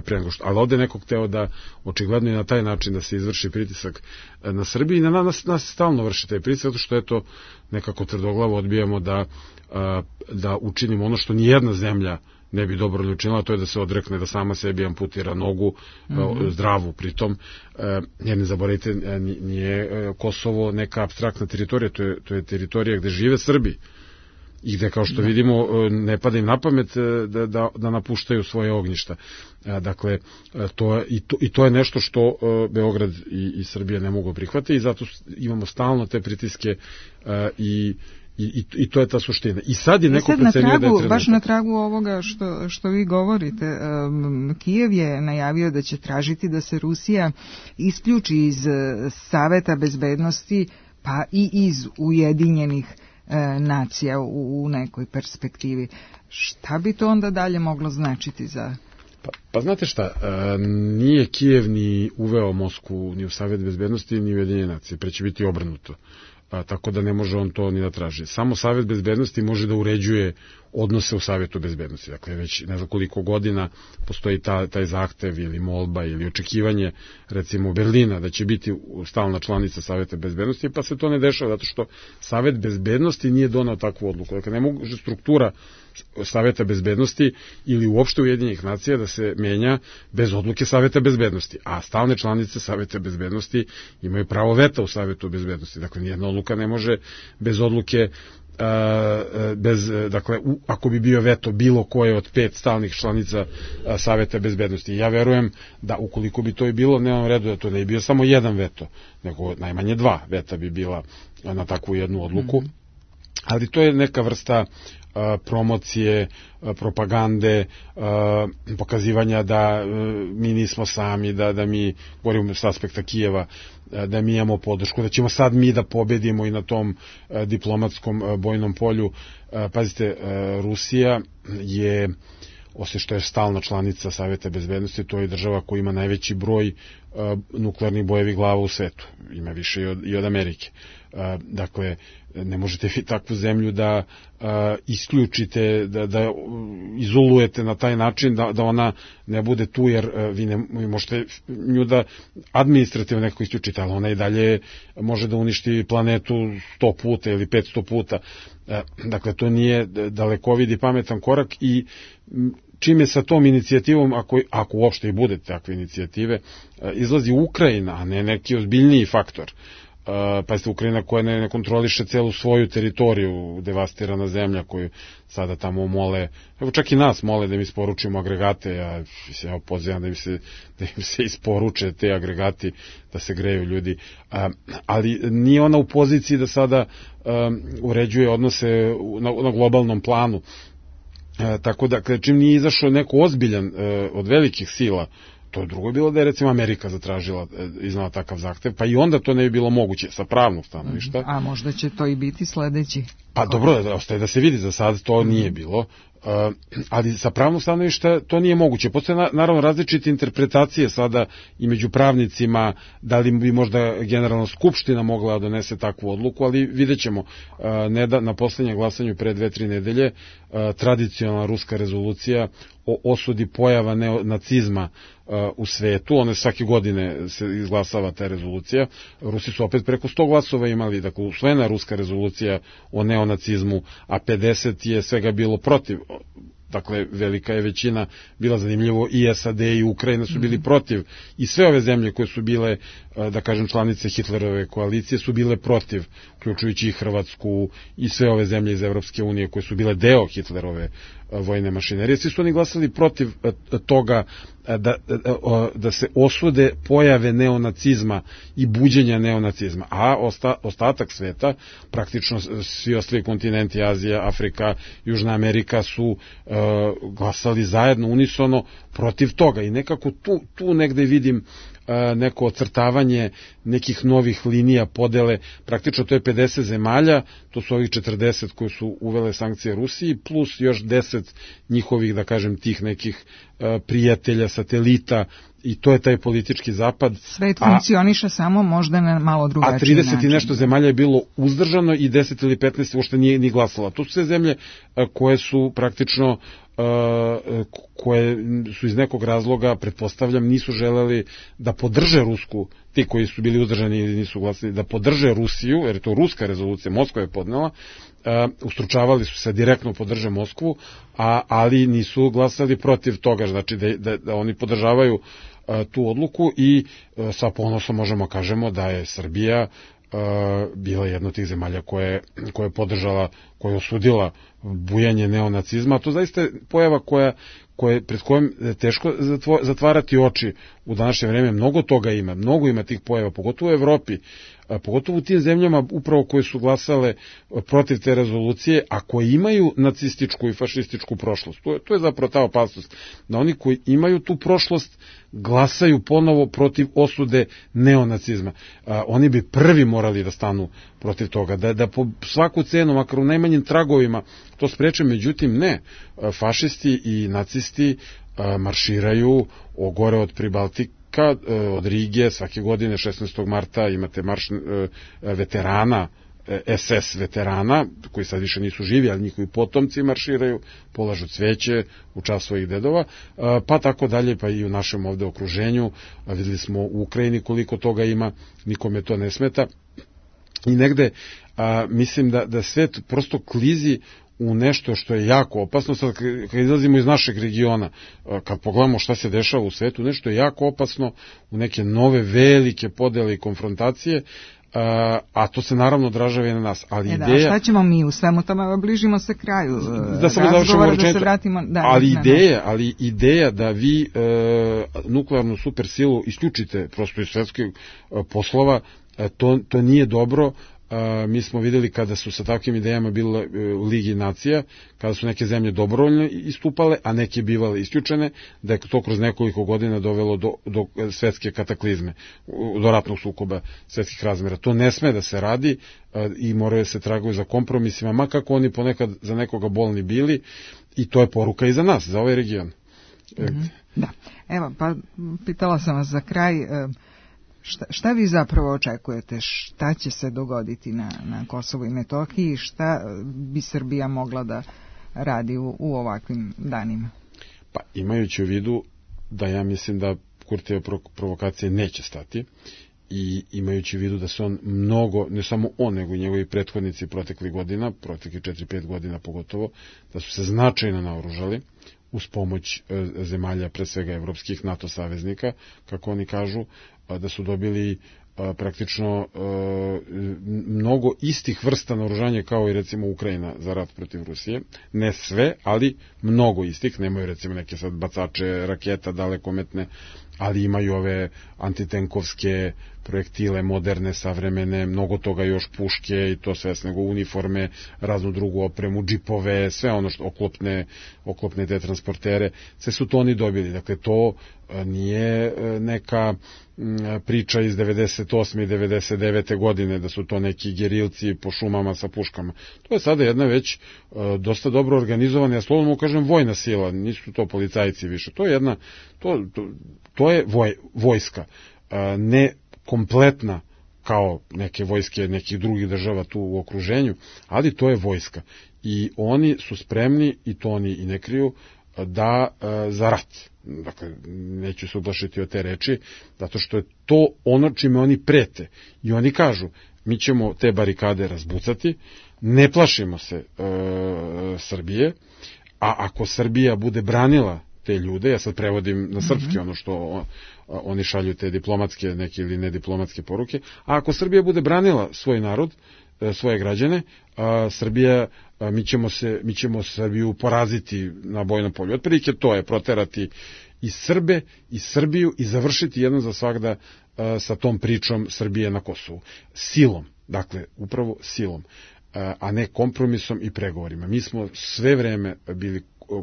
pre nego što. Ali ovde nekog hteo da očigledno i na taj način da se izvrši pritisak na Srbiji i na nas stalno vrši taj pritisak, zato što eto nekako tvrdoglavo odbijamo da učinimo ono što nijedna zemlja ne bi dobro učinila, to je da se odrekne, da sama sebi amputira nogu, zdravu pritom, jer ne zaboravite, nije Kosovo neka apstraktna teritorija, to je teritorija gde žive Srbi i gde, kao što vidimo, ne pada im na pamet da napuštaju svoje ognjišta. Dakle, to je nešto što Beograd i Srbija ne mogu prihvatiti i zato imamo stalno te pritiske i to je ta suština. I sad je neko procenio da je trenutak. Baš na tragu ovoga što vi govorite, Kijev je najavio da će tražiti da se Rusija isključi iz Saveta bezbednosti, pa i iz Ujedinjenih nacija u nekoj perspektivi. Šta bi to onda dalje moglo značiti za... Pa znate šta, nije Kijev ni uveo Moskvu ni u Savet bezbednosti ni u Ujedinjene nacije, pre će biti obrnuto. Tako da ne može on to ni da traži. Samo Savet bezbednosti može da uređuje odnose u Savetu bezbednosti. Dakle, već ne znam koliko godina postoji taj zahtev ili molba ili očekivanje, recimo Berlina, da će biti stalna članica Saveta bezbednosti, pa se to ne dešava, zato što Savet bezbednosti nije donao takvu odluku. Dakle, ne može struktura Saveta bezbednosti ili uopšte Ujedinjenih nacija da se menja bez odluke Saveta bezbednosti, a stalne članice Saveta bezbednosti imaju pravo veta u Savetu bezbednosti. Dakle, nijedna odluka ne može bez odluke dakle, ako bi bio veto bilo koje od 5 stalnih članica Saveta bezbednosti. Ja verujem da ukoliko bi to i bilo, nemam redu da to ne bi bio samo jedan veto, nego najmanje 2 veta bi bila na takvu jednu odluku. Ali to je neka vrsta promocije, propagande, pokazivanja da mi nismo sami, da mi, govorimo s aspekta Kijeva, da mi imamo podršku, da ćemo sad mi da pobedimo i na tom diplomatskom bojnom polju. Pazite, Rusija je, osim što je stalna članica Saveta bezbednosti, to je država koja ima najveći broj nuklearnih bojevih glava u svetu. Ima više i od Amerike. Dakle, ne možete vi takvu zemlju da isključite, da izolujete na taj način da ona ne bude tu, jer vi možete nju da administrativno nekako isključite, ali ona i dalje može da uništi planetu 100 puta ili 500 puta. Dakle, to nije dalekovid i pametan korak i čim je sa tom inicijativom, ako uopšte i bude takve inicijative, izlazi Ukrajina, a ne neki ozbiljniji faktor. Pazite, Ukrajina koja ne kontroliše celu svoju teritoriju, devastirana zemlja koju sada tamo mole, evo čak i nas mole da im isporučimo agregate, ja pozivam da im se isporuče te agregati, da se greju ljudi, ali nije ona u poziciji da sada uređuje odnose na globalnom planu. Tako da, čim nije izašao neko ozbiljan od velikih sila, to je drugo bilo da je recimo Amerika zatražila, iznala takav zahtev, pa i onda to ne bi bilo moguće sa pravnog stanovišta. A možda će to i biti sledeći. Pa dobro, ostaje da se vidi, za sad to nije bilo, ali sa pravnog stanovišta to nije moguće. Postoje naravno različite interpretacije sada i među pravnicima, da li bi možda Generalna skupština mogla da donese takvu odluku, ali vidjet ćemo. Na poslednjem glasanju pre 2-3 nedelje tradicionalna ruska rezolucija o osudi pojava neonacizma u svetu, one svake godine se izglasava ta rezolucija. Rusi su opet preko 100 glasova imali, dakle usvojena ruska rezolucija o neonacizmu, a 50 je svega bilo protiv. Dakle, velika je većina bila, zanimljivo, i SAD i Ukrajina su bili protiv, i sve ove zemlje koje su bile, da kažem, članice Hitlerove koalicije su bile protiv, uključujući i Hrvatsku i sve ove zemlje iz Evropske unije koje su bile deo Hitlerove vojne mašinerije. Svi su oni glasali protiv toga da se osude pojave neonacizma i buđenja neonacizma, a ostatak sveta, praktično svi ostali kontinenti, Azija, Afrika, Južna Amerika, su glasali zajedno, unisono, protiv toga. I nekako tu negde vidim neko ocrtavanje nekih novih linija podele. Praktično to je 50 zemalja, to su ovih 40 koji su uvele sankcije Rusiji, plus još 10 njihovih, da kažem, tih nekih prijatelja, satelita, i to je taj politički zapad. Svet funkcioniše samo možda na malo drugačiji način. A 30 i nešto zemalja je bilo uzdržano i 10 ili 15 uopšte nije ni glasala. To su sve zemlje koje su praktično koje su iz nekog razloga, pretpostavljam, nisu želeli da podrže Rusku, ti koji su bili uzdržani ili nisu glasali, da podrže Rusiju, jer je to ruska rezolucija, Moskva je podnela, ustručavali su se direktno podrže Moskvu, ali nisu glasali protiv toga, znači da oni podržavaju tu odluku i sa ponosom možemo kažemo da je Srbija bila jedna od tih zemalja koja je podržala, koja je osudila bujanje neonacizma. To zaista je pojava pred kojom je teško zatvarati oči u današnje vreme. Mnogo toga ima, mnogo ima tih pojava, pogotovo u Evropi, pogotovo u tim zemljama upravo koje su glasale protiv te rezolucije, a koje imaju nacističku i fašističku prošlost. To je zapravo ta opasnost, da oni koji imaju tu prošlost glasaju ponovo protiv osude neonacizma. Oni bi prvi morali da stanu protiv toga, da po svaku cenu, makar u najmanjim tragovima, to spreče. Međutim, ne. Fašisti i nacisti marširaju gore od Pribaltika, od Rige, svake godine 16. marta imate marš veterana, SS veterana, koji sad više nisu živi, ali njihovi potomci marširaju, polažu cveće u čast svojih dedova, pa tako dalje, pa i u našem ovde okruženju. Videli smo u Ukrajini koliko toga ima, nikome to ne smeta. I negde mislim da svet prosto klizi u nešto što je jako opasno. Sad kad izlazimo iz našeg regiona, kad pogledamo šta se dešava u svetu, nešto je jako opasno, u neke nove velike podele i konfrontacije, a to se naravno odražava i na nas. Ali ideja, šta ćemo mi u svemu tome, bližimo se kraju razgovora, da se vratimo. Ali ideja da vi nuklearnu supersilu isključite prosto iz svetskih poslova, to nije dobro. Mi smo videli kada su sa takvim idejama bile u Ligi nacija, kada su neke zemlje dobrovoljno istupale, a neke bivale isključene, da je to kroz nekoliko godina dovelo do svetske kataklizme, do ratnog sukoba svetskih razmera. To ne sme da se radi i moraju se traguju za kompromisima, ma kako oni ponekad za nekoga bolni bili, i to je poruka i za nas, za ovaj region. Da. Evo, pa pitala sam vas za kraj, šta vi zapravo očekujete? Šta će se dogoditi na Kosovu i Metohiji? Šta bi Srbija mogla da radi u ovakvim danima? Pa imajući u vidu da ja mislim da Kurtijeve provokacije neće stati, i imajući u vidu da se on mnogo, ne samo on, nego i njegovi prethodnici proteklih 4-5 godina pogotovo, da su se značajno naoružali uz pomoć zemalja, pre svega evropskih NATO saveznika, kako oni kažu, da su dobili praktično mnogo istih vrsta naoružanja kao i recimo Ukrajina za rat protiv Rusije. Ne sve, ali mnogo istih. Nemaju recimo neke sad bacače raketa dalekometne, ali imaju ove antitenkovske projektile, moderne, savremene, mnogo toga još, puške i to sve, nego uniforme, raznu drugu opremu, džipove, sve ono što oklopne te transportere, sve su to oni dobili. Dakle, to nije neka priča iz 98. i 99. godine, da su to neki gerilci po šumama sa puškama. To je sada jedna već dosta dobro organizovana, ja slobodno mu kažem, vojna sila, nisu to policajci više. To je jedna, to je vojska, ne kompletna kao neke vojske nekih drugih država tu u okruženju, ali to je vojska. I oni su spremni, i to oni i ne kriju, da za rat. Dakle, neću se ublašiti od te reči, zato što je to ono čime oni prete. I oni kažu, mi ćemo te barikade razbucati, ne plašimo se Srbije, a ako Srbija bude branila te ljude, ja sad prevodim na srpski ono što oni šalju, te diplomatske neke ili nediplomatske poruke, a ako Srbija bude branila svoj narod, svoje građane, Srbija, mi ćemo Srbiju poraziti na bojnom polju. Otprilike to je proterati i Srbe i Srbiju i završiti jednom za svagda sa tom pričom Srbije na Kosovu. Silom, dakle, upravo silom, a ne kompromisom i pregovorima. Mi smo sve vreme bili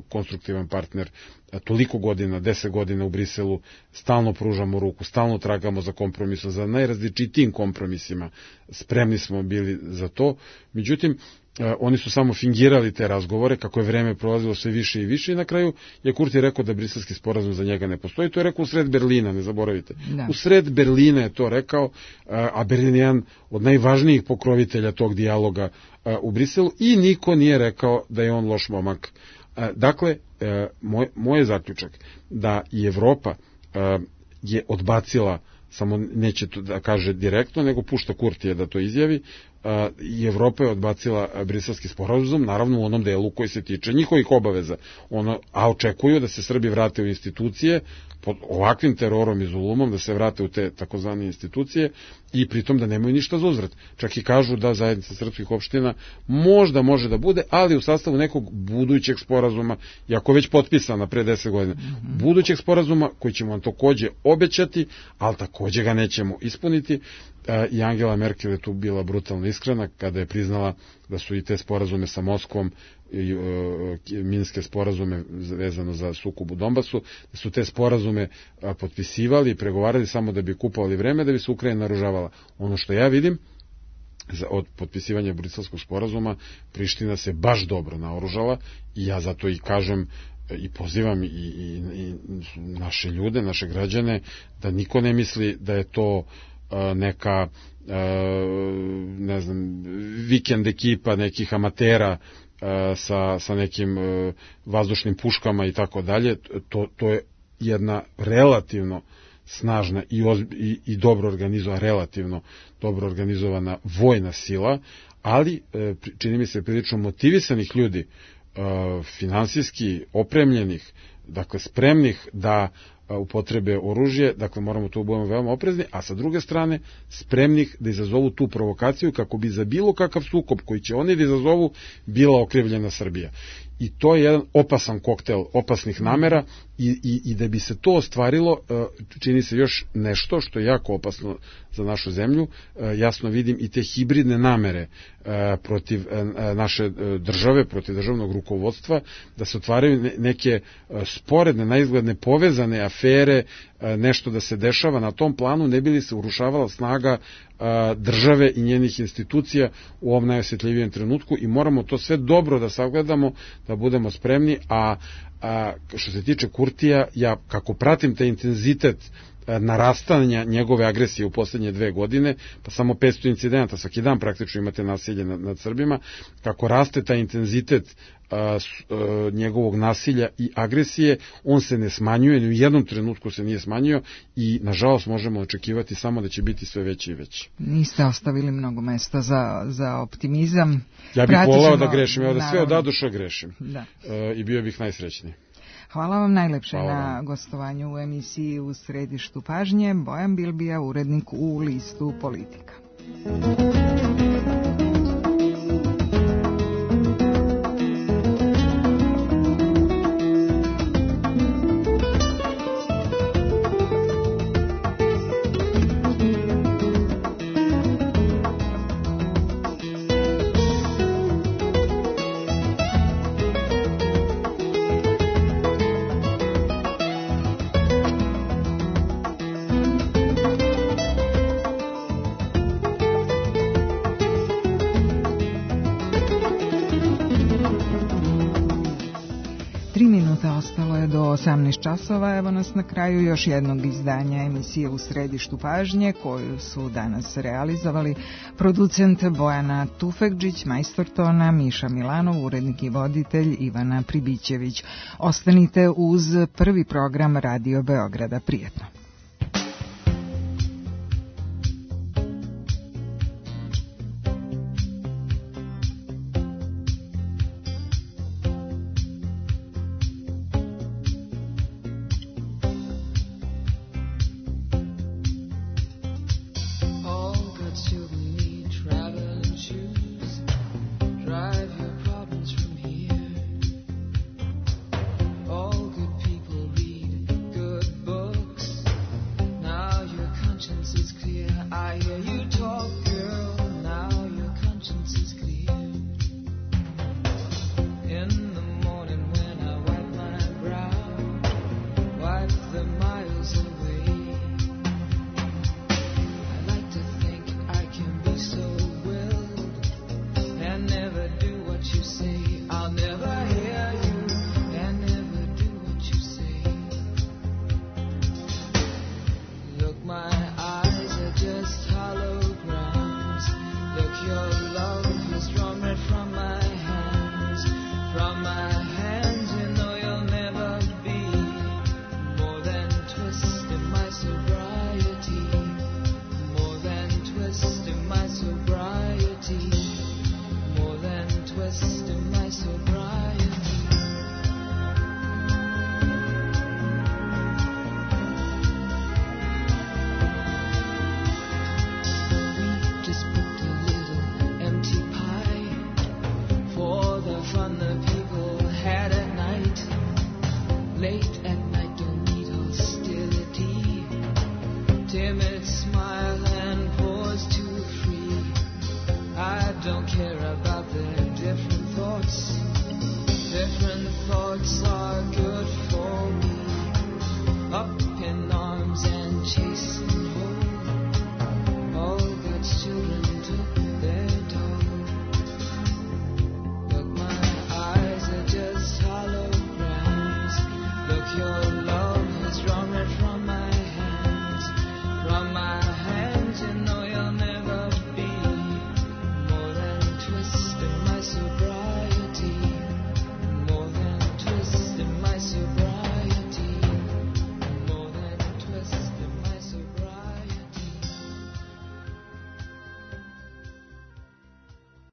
konstruktivan partner toliko godina, 10 godina u Briselu, stalno pružamo ruku, stalno tragamo za kompromisom, za najrazličitijim kompromisima, spremni smo bili za to, međutim, oni su samo fingirali te razgovore, kako je vreme prolazilo sve više i više i na kraju je Kurti rekao da briselski sporazum za njega ne postoji. To je rekao u sred Berlina, ne zaboravite. Da. U sred Berlina je to rekao, a Berlin je jedan od najvažnijih pokrovitelja tog dijaloga u Briselu i niko nije rekao da je on loš momak. Dakle, moj je zaključak da i Evropa je odbacila, samo neće to da kaže direktno, nego pušta Kurtija da to izjavi, i Evropa je odbacila briselski sporazum, naravno u onom delu koji se tiče njihovih obaveza, a očekuju da se Srbi vrate u institucije, pod ovakvim terorom i zulumom, da se vrate u te takozvane institucije i pritom da nemaju ništa za uzvrat. Čak i kažu da zajednica srpskih opština možda može da bude, ali u sastavu nekog budućeg sporazuma, iako već potpisana pre 10 godina, budućeg sporazuma koji ćemo vam takođe obećati, ali takođe ga nećemo ispuniti. I Angela Merkel je tu bila brutalno iskrena kada je priznala da su i te sporazume sa Moskvom i minske sporazume vezano za sukob u Donbasu, da su te sporazume potpisivali i pregovarali samo da bi kupovali vreme, da bi se Ukrajina naoružavala. Ono što ja vidim od potpisivanja briselskog sporazuma, Priština se baš dobro naoružala i ja zato i kažem i pozivam i naše ljude, naše građane, da niko ne misli da je to neka ne znam, vikend ekipa nekih amatera sa nekim vazdušnim puškama i tako dalje. To je jedna relativno snažna i dobro organizovana, relativno dobro organizovana vojna sila, ali čini mi se prilično motivisanih ljudi, finansijski opremljenih, dakle spremnih da upotrebe oružje, dakle moramo tu budemo veoma oprezni, a sa druge strane spremnih da izazovu tu provokaciju kako bi za bilo kakav sukob koji će oni da izazovu bila okrivljena Srbija. I to je jedan opasan koktel opasnih namera i da bi se to ostvarilo, čini se još nešto što je jako opasno za našu zemlju. Jasno vidim i te hibridne namere protiv naše države, protiv državnog rukovodstva, da se otvaraju neke sporedne, naizgledne povezane afere, nešto da se dešava na tom planu, ne bi li se urušavala snaga države i njenih institucija u ovom najosjetljivijem trenutku i moramo to sve dobro da sagledamo, da budemo spremni, a što se tiče Kurtija, ja kako pratim taj intenzitet narastanja njegove agresije u poslednje 2 godine, pa samo 500 incidenta, svaki dan praktično imate nasilje nad Srbima, kako raste taj intenzitet njegovog nasilja i agresije, on se ne smanjuje, ni u jednom trenutku se nije smanjio i nažalost možemo očekivati samo da će biti sve veći i veći. Niste ostavili mnogo mesta za optimizam. Ja bih volao da grešim, ja da sve od A do Š grešim. Da. I bio bih najsrećniji. Hvala vam najlepše na gostovanju u emisiji U središtu pažnje. Bojan Bilbija, urednik u listu Politika. Ostalo je do 18 časova, evo nas na kraju još jednog izdanja emisije U središtu pažnje, koju su danas realizovali producent Bojana Tufekđić, majstor tona Miša Milanov, urednik i voditelj Ivana Pribićević. Ostanite uz prvi program Radio Beograda. Prijetno. All good people read good books. lost in my sobriety.